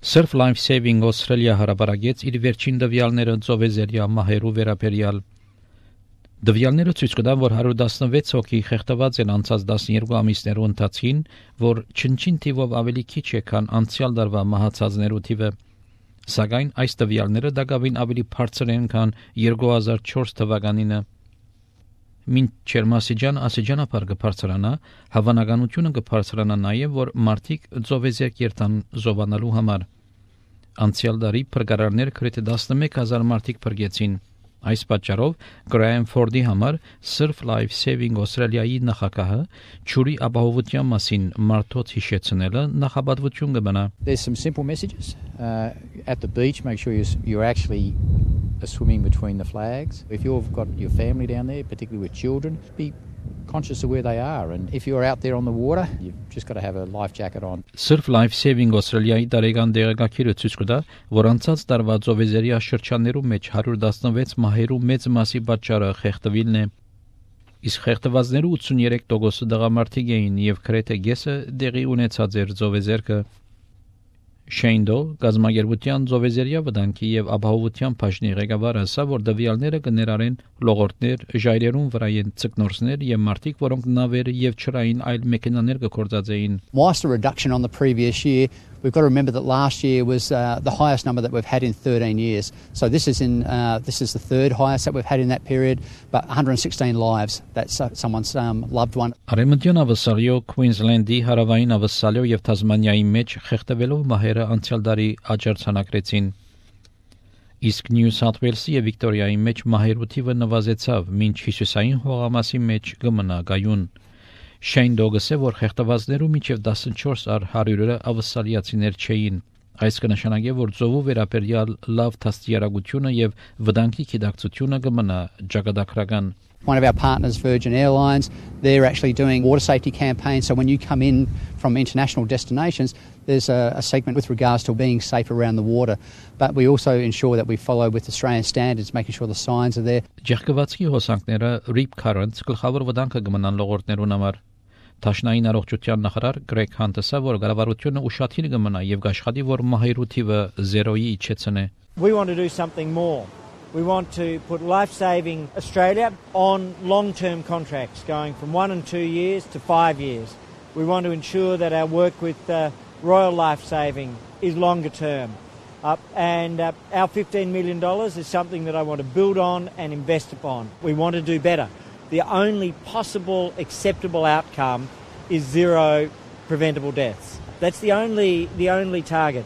Surf Life Saving Australia հարաբարագեց իր վերջին դվյալները ծովեզերյա մահերու վերաբերյալ։ Դվյալները ցույց կտան, որ 116 հոգի խեղդված են անցած 12 ամիսներու ընթացքին, որ չնչին թիվով ավելի քիչ է, քան անցյալ տարվա մահացածներու թիվը։ Սակայն այս դվյալները դակավին ավելի բարձր են, քան 2004 թվականինը։ Մինչ Ասիջանապար կբարձրանա, հավանականությունը կբարձրանա նաև, որ մարդիկ ծովեզերք երթան զովանալու համար։ Անցյալ տարի փրկարարներ գրեթե 11,000 մարդիկ փրկեցին։ Այս պատճառով Գրայեմ Ֆորդի համար Surf Life Saving Australia-ի նախագահը ջուրի ապահովության մասին մարդոց հիշեցնելը նախապատվություն կմնա։ There's some simple messages. At the beach, make sure you're actually swimming between the flags. If you've got your family down there, particularly with children, be conscious of where they are, and if you're out there on the water, you've just got to have a life jacket on. Surf Life Saving Australia-ի տարեկան դեղեկագիրը ցույց կտա, որ անցած տարվա ծովեզերյա շրջաններու մեջ 116 մահերու մեծ մասի պատճառը խեղդվելն է։ Իսկ խեղդվածներու 83% դղամարդիկ էին եւ գրեթե կեսը դեղի ունեցած էր ծովեզերքը։ Շեյնդո գազագերբության ծովեզերյա վտանգի եւ ապահովության բաժնի ղեկավարը ասա, որ դվյալները կներառեն լողորտներ, ժայռերուն վրայեն ցկնորսներ եւ մարդիկ, որոնք նավեր եւ չրային այլ մեքենաներ կգործածեին։ Whilst a reduction on the previous year, we've got to remember that last year was the highest number that we've had in 13 years. So this is the third highest that we've had in that period, but 116 lives. That's someone's loved one. Արեմտյան ավսալյո Queensland-ի հարավային ավսալյո եւ Թասմանիայի մեջ խեղդվելով մահերը անցյալ տարի աջակցանակրեցին։ Իսկ Նյու Սաութ Ուելսի եւ Վիկտորիայի մեջ մահերու թիվը նվազեցավ, մինչ հյուսիսային հողամասի մեջ կմնա գայուն։ Շեյն Դոգսը, որ խեղդվածներու միջև 14 առ 100-ը ավսալիացիներ չէին։ Այս կնշանակի, որ ծովու վերաբերյալ լավ դաստիարակությունը եւ վտանգի գիտակցությունը կմնա ճակատագրական։ One of our partners, Virgin Airlines, they're actually doing water safety campaigns. So when you come in from international destinations, there's a segment with regards to being safe around the water. But we also ensure that we follow with Australian standards, making sure the signs are there. Ջերկվածքի հոսանքները Rip Currents գլխավոր վտանգը կմնան լողորտներուն համար։ Տաշնային առողջության նախարար Գրեգ Հանտեսը, որ կառավարությունը ուշադիր կմնա եւ կաշխատի, որ մահերու թիվը 0-ի իջեցնե։ We want to do something more. We want to put Life Saving Australia on long-term contracts going from 1 and 2 years to 5 years. We want to ensure that our work with Royal Life Saving is longer term. And our $15 million is something that I want to build on and invest upon. We want to do better. The only possible acceptable outcome is 0 preventable deaths. That's the only target.